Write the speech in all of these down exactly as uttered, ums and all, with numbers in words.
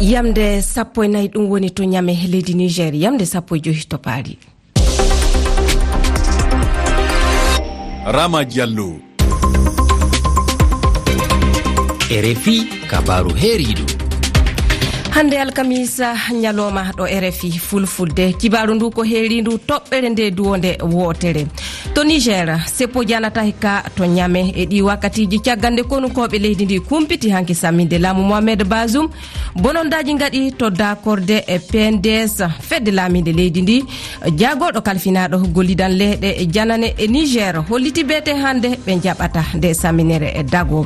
Yamde sappo e nayi, ɗum woni to Ñame, leydi Niger, yamde sappo e joyi to Paali. Rama Diallo. R F I, kabaaru heeriiɗo. Hannde alkamisa, ñalooma ɗo R F I Fulfulde. Kibaaru ndu ko heeriindu toɓɓere nde duwonde wootere. To Niger, seppo janata hikka to Ñame e ɗi wakkatiiji caggal nde konukooɓe leydi ndi kumpiti hanki samminde laamu Mohamed Bazoum. Bonondaaji ngaɗi to daakorde e P N D S, fedde laamiinde leydi ndi. Jaagorɗo kalfinaaɗo gollidan leyɗe janane e Niger holliti beete hannde ɓe njaɓata nde saminere e dago.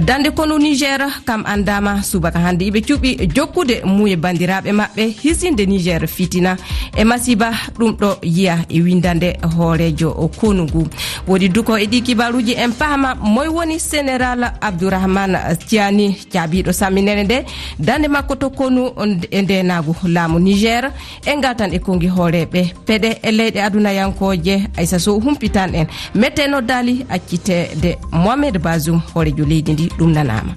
Dande konu Niger kam anndaama subaka hannde iɓe cuɓi jokkude muuye banndiraaɓe maɓɓe hisinde Niger fitina e masiba ɗum ɗo yiya e windande hooreejo konu ngu. Woodi duko e ɗi kibaaruuji en paama moy woni Général Abdourahmane Tiani, caabiiɗo samminere nde, dande makko to konu on-, e ndeenaagu laamu Niger. En ngartan e konngi hooreeɓe peɗe e leyɗe adunayankooje, Aissa Sow humpitan en. Mette noddaali acciteede Mohamed Bazoum, hooreejo leydi ndi, ɗum nanaama.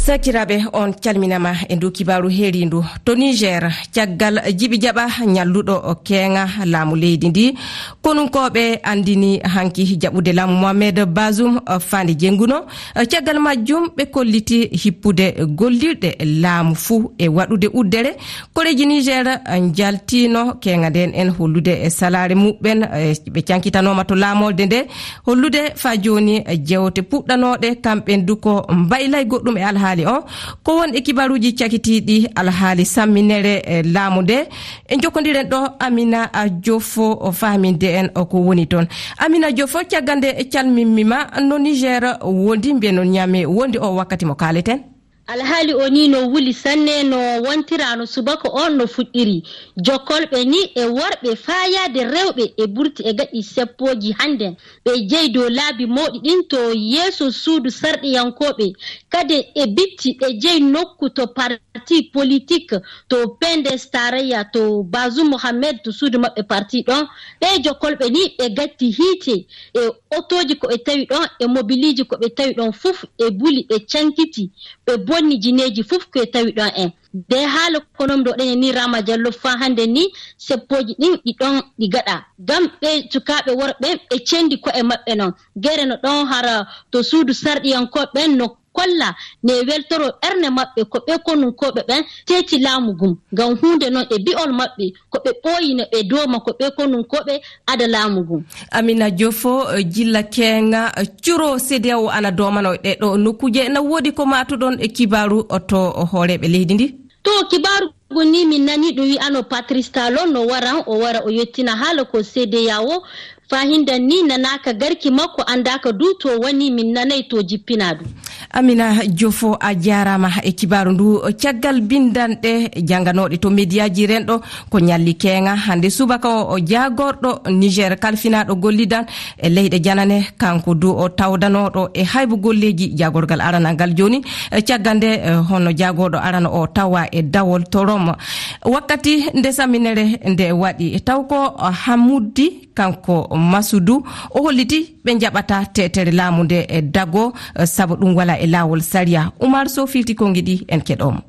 Sakiraaɓe, on calminama e ndu kibaaru heeriindu. To Niger, caggal jibi jaɓa ñalluɗo keeŋa laamu leydi ndi, konunkooɓe anndini hanki jaɓude laamu Mohamed Bazoum, faande jennguno. Caggal majjum, ɓe kolliti hippude gollirɗe laamu fuu e waɗude uddere. Koreeji Niger njaltino keeŋa nden en hollude e salaare muɓɓen, e ɓe cankitanooma to laamorde nde, hollude faa jooni jewte puɗɗanooɗe kamɓen du ko mbaylay goɗɗum e alhaali o. Ko won e kibaruuji cakitiiɗi alhaali samminere e laamu nde. En jokkondiren ɗo Amina Jofo o faaminde en o ko woni toon. Amina Jofo, caggal nde calminmi ma, no Niger wondi, mbiyen no Niamey wondi o wakkati mo kaaleten? Alhaali o ni no wuli sanne, no wontira no subaka o no fuɗɗiri. Jokkolɓe ni e worɓe faayaade rewɓe e burti e gaɗi seppooji hannden. Ɓe jeyi dow laabi mawɗi ɗin to yeeso suudu sarɗiyankooɓe. Kadi e bitti ɓe jeyi nokku to parti politik, to P N D S tarayya, to Bazoum Mohamed to suudu maɓɓe parti ɗon. Ɓe jokkolɓe ni ɓe gatti hiite e otooji ko ɓe tawi ɗon, e mobiliiji ko ɓe tawi ɗon fof, e buli ɓe cankiti, ɓe bonni jineeji fof ko ɓe tawi ɗon en. De haala ko non ɗo ɗen ni Rama Diallo faa hannde ni seppooji ɗin ɗi ɗon ɗi gaɗa. Ngam ɓe sukaaɓe worɓe ɓe cendi ko'e maɓɓe non. Gere no ɗon hara to suudu sarɗiyankooɓe ɓen no kolla ne weltoro ɓerne maɓɓe ko ɓe konunkooɓe ɓen teeti laamu ngun. Ngam huunde non e bi'ol maɓɓe ko ɓe ɓooyi no ɓe dooma ko ɓe konunkooɓe ada laamu ngun. Amina Jofo, eh, jilla keeŋa, eh, curo C D A O ana doomano ɗe ɗo nokkuuje. Na woodi ko maatuɗon e kibaaru o to hooreeɓe leydi ndi? To kibaaru ngun ni min nani ɗum wi'ano Patrice Talon no waran, o wara o yettina haala ko C D A O. Faa hindan ni nanaaka garki makko, anndaaka du to woni, min nanay to jippinaa du. Amina Jofo, a jaaraama e kibaaru ndu. Caggal binndanɗe jannganooɗe to mediyaaji renɗo, ko ñalli keeŋa hannde subaka o, o jaagorɗo Niger kalfinaaɗo gollidan e leyɗe janane, kanko du o tawdanooɗo e haybu golleeji jaagorgal aranal ngal jooni. E caggal nde, e, hono jaagorɗo arano o tawa e dawol to Rome. Wakkati nde saminere nde waɗi, taw ko Hamuddi kanko Masudu, o holliti ɓe njaɓata teetere laamu nde e dago, eh, sabu ɗum wala e laawol sariya. Umar Sow filti konngi ɗi, en keɗomo.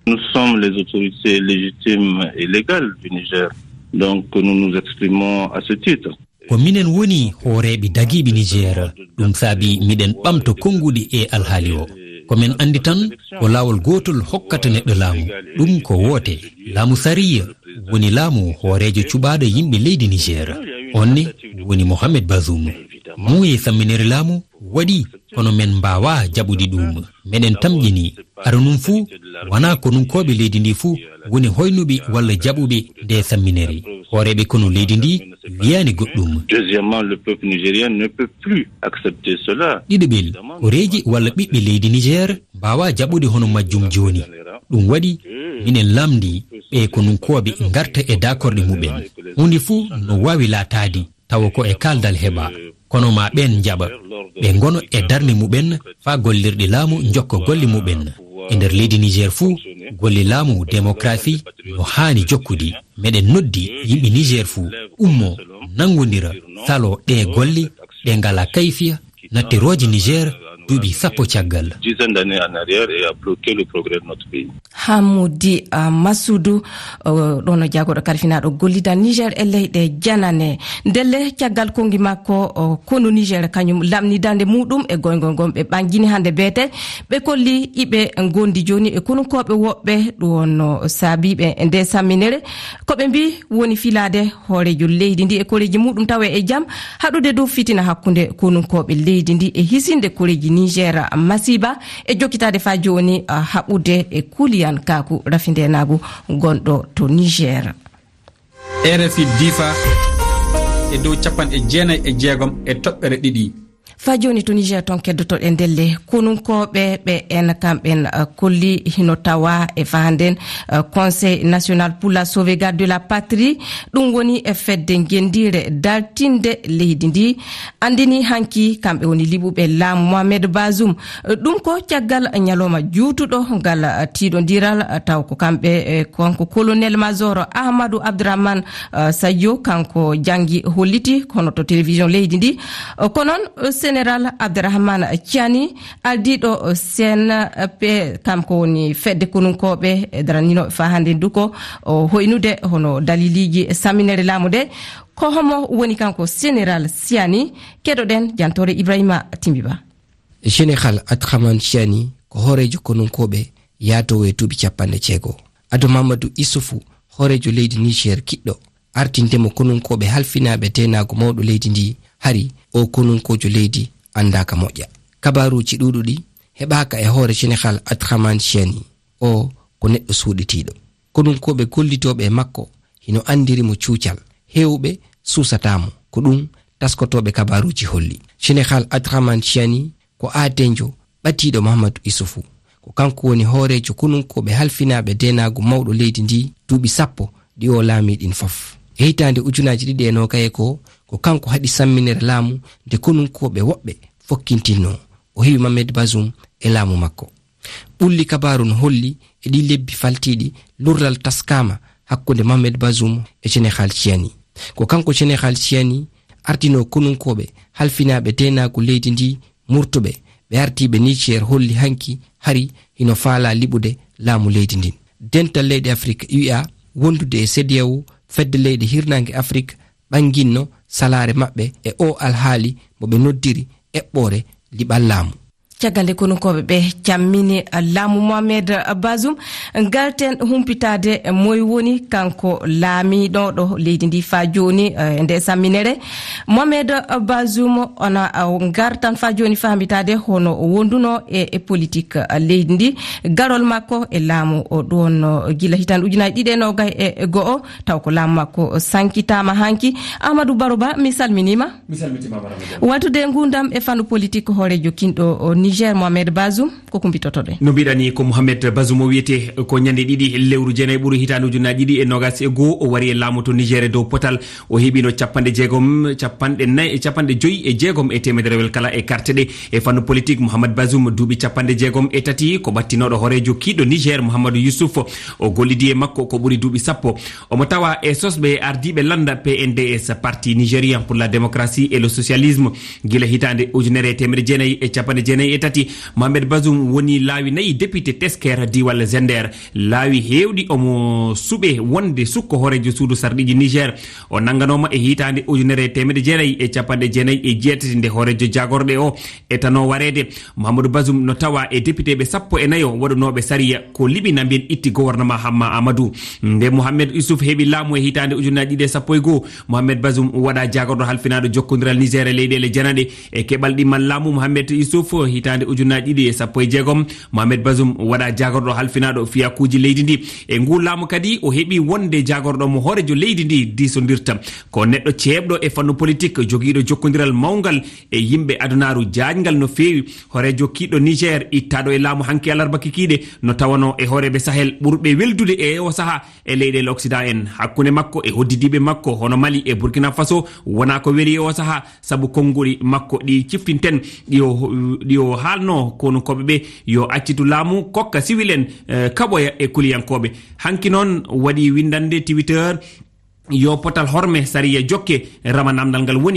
Nous sommes les autorités légitimes et légales du Niger. Donc, nous nous exprimons à ce titre. Ko minen woni hooreeɓe dagiiɓe Niger. Ɗum saabi miɗen ɓamto konnguɗi e alhaali o. Ko men anndi tan ko laawol gootol hokkata neɗɗo laamu. Ɗum ko woote. Laamu sariya woni laamu hooreejo cuɓaaɗo yimɓe leydi Niger. On ne woni Mohamed Bazoum. Muuye samminere laamu waɗi, kono men mbaawaa jaɓude ɗum. Meɗen tamƴini. Ara nun fuu, wanaa konunkooɓe leydi ndi fuu woni hoynuɓe walla jaɓuɓe nde samminere. Hooreeɓe konu leydi ndi wiyaani goɗɗum. Deuxièmement, le peuple nigérien ne peut plus accepter cela. Ɗiɗaɓel, horeeji walla ɓiɓɓe leydi Niger mbaawaa jaɓude hono majjum jooni. Ɗum waɗi, minen lamndi ɓe konunkooɓe ngarta e daakorɗe muɓɓen. Huunde fuu no waawi laataade, tawa ko e kaaldal heɓa. Kono maa ɓeen njaɓa, ɓe ngona e darnde muɓɓen faa gollirɗe laamu njokka golle muɓɓen. E nder leydi Niger fuu, golle laamu, démocratie, no haani jokkude. Meɗen noddi yimɓe Niger fuu, ummo, nanngondira, salo ɗee golle, ɗe ngalaa kayfiya, nattirooje Niger, duuɓi sappo caggal. Dizaine d'années en arrière et a bloqué le progrès de notre pays. Hamoudi, ah, Massoudou, oh, ɗon o jagorɗo kalfinaaɗo gollidal Niger e leyɗe janane. Ndelle caggal konngi makko, oh, konu Niger kañum lamni darnde muɗum e goyngol ngon ɓe ɓanngini hannde beete. Ɓe kolli iɓe ngondi jooni e konunkooɓe woɓɓe, ɗum wonno saabiiɓe nde samminere. Ko ɓe mbi woni filaade hooreejo leydi ndi e koreeji muɗum tawa e jam, haɗude dow fitina hakkunde konunkooɓe leydi ndi e hisinde koreeji Niger masiiba e jokkitaade faa jooni, ah, haɓude e Kuliyan Kaaku rafindenaagu gonɗo to Niger. R F I Difa e dow capanɗe jeenayi e jeegom e toɓɓere ɗiɗi. Faa jooni to Niger toon keddotoɗen ndelle konunkooɓe ɓe en kamɓen, ah, kolli hino tawa e fahanden, ah, Conseil National pour la Sauvegarde de la Patrie. Ɗum woni e fedde ngenndiire dartinde leydi ndi. Anndini hanki kamɓe woni liɓuɓe laamu Mohamed Bazoum. Ɗum ko caggal ñalawma juutuɗo ngal, ah, tiiɗondiral, ah, taw ko kamɓe, eh, kanko colonel major Ahmadou Abdourahmane, ah, Sadio, kanko janngi holliti kono to télévision leydi ndi. Ko noon, général Abdourahmane Tiani, ardiiɗo C N P, kam ko woni fedde konunkooɓe, e daranninooɓe faa hannde ndu ko o hoynude hono daliliiji samminere laamu nde. Ko homo woni kanko général Tiani? Keɗoɗen jantoore Ibrahima Timbiba. Général Abdourahmane Tiani ko hooreejo konunkooɓe yaatoowo e duuɓi capanɗe jeego. Ado Mamadou Issoufou, hooreejo leydi Niger kiɗɗo, artinde mo konunkooɓe halfinaaɓe deenaagu mawɗo leydi ndi, hari o konunkoojo leydi anndaaka moƴƴa. Kabaaruuji ɗuuɗuɗi heɓaaka e hoore Général Abdourahmane Tiani. O ko neɗɗo suuɗitiiɗo. Konunkooɓe gollitooɓe e makko hino anndiri mo cuucal. Heewɓe suusataa mo. Ko ɗum taskotooɓe kabaaruuji holli. Général Abdourahmane Tiani ko aadenjo ɓadiiɗo Mahamadou Issoufou. Ko kanko woni hooreejo konunkooɓe halfinaaɓe deenaagu mawɗo leydi ndi duuɓi sappo ɗi o laamii ɗin fof. E hitaande ujunaaji ɗiɗi e noogay e ko, ko kanko haɗi samminere laamu nde konunkooɓe woɓɓe fokkintinnoo. O heɓi Mohamed Bazoum e laamu makko. Ɓulli kabaaru no holli e ɗi lebbi faltiiɗi, lurral taskaama hakkunde Mohamed Bazoum e Général Tiani. Ko kanko Général Tiani ardinoo konunkooɓe halfinaaɓe deenaagu leydi ndi murtuɓe, ɓe ardiiɓe Niger holli hanki hari hino faalaa liɓude laamu leydi ndin. Dental leyɗe Afrik, U A, wondude e CEDEAO, fedde leyɗe hirnaange Afrik, ɓannginno salaare maɓɓe e oo alhaali mo ɓe noddiri eɓɓoore liɓal laamu. Caggal nde konunkooɓe ɓe cammini laamu Mohamed Bazoum, ngarten humpitaade moy woni kanko laamiiɗo ɗo leydi ndi faa jooni, eh, nde samminere. Mohamed Bazoum, ona, eh, ngartan faa jooni fahmitaade hono o wonduno e, e politik, eh, leydi ndi, garol makko e laamu o ɗon, eh, gila hitaande ujunaaji ɗiɗi e noogay e, e go'o, taw ko laamu makko sankitaama hanki. Amadou Baro Ba, mi salminiima. Mi salmitiima, Madame Diallo. Waɗtude nguurndam e fannu politik hooreejo kinɗo o Niger, Mohamed Bazoum, ko kumbitotoɗen. No mbiɗa ni, ko Mohamed Bazoum o wiyete, ko ñande ɗiɗi lewru jeenayi ɓuru hitaande ujunaaji ɗiɗi e noogas e goo, o wari e laamu to Niger e dow potal. O heɓino capanɗe jeegom, capanɗe nayi, capanɗe joyi e jeegom e teemedere kala e karte ɗe. E fannu politik, Mohamed Bazoum, duuɓi capanɗe jeegom e tati, ko ɓattinooɗo hooreejo kiiɗɗo Niger, Mohamadou Youssouf. O gollidi e makko ko ɓuri duuɓi sappo. Omo tawa e sosɓe e ardiiɓe lannda P N D S, Parti Nigérian pour la Démocratie et le Socialisme. Gila hitaande ujunere e teemedde jeenayi e capanɗe jeenayi e tati, Mohamed Bazoum woni laawi nayi député tesker diiwal Zender. Laawi heewɗi omo suɓe wonde sukko hooreejo suudu sarɗiiji Niger. O nannganooma e hitaande ujunere e teemedde jeenayi e capanɗe jeenayi e jeetati nde hooreejo jaagorɗe o etanoo wareede. Mouhamadou Bazoum no tawa e depiteeɓe sappo e nayo waɗunooɓe sariya ko liɓi na mbiyen itti gouvernement Hamma Amadou. Nde Mohamed Youssouf heɓi laamu e hitaande ujunaaji ɗiɗi e sappo e goo, Mohamed Bazoum waɗa jaagorɗo halfinaaɗo jokkondiral Niger e leyɗeele janaɗe. E keɓal ɗimmal laamu Mohamed Youssouf hitaande ujunaaji ɗiɗi e sappo e jeegom, Mohamed Bazoum waɗa jaagorɗo halfinaaɗo fiyakuuji leydi ndi. E nguu laamu kadi o heɓi wonde jaagorɗo mo hooreejo leydi ndi diisondirta. Ko neɗɗo ceeɓɗo e fannu politik, jogiiɗo jokkondiral mawngal e yimɓe adunaaru jaajngal no feewi. Hooreejo kiiɗɗo Niger, ittaaɗo e laamu hanki alarba kikiiɗe, no tawanoo e hooreeɓe Sahel ɓurɓe weldude e oo sahaa e leyɗeele Occident en. Hakkunde makko e hoddidiiɓe makko hono Mali e Burkina Faso, wonaa ko weli e oo sahaa, sabu konnguɗi makko ɗi ciftinten, ɗi o, ɗi o haalnoo konunkooɓe ɓe yo accitu laamu, kokka siwil en, eh, kaɓoya e kuliyankooɓe. Hanki noon waɗi winndannde Twitter, yo potal horme sariya jokke, rama namdal ngal woni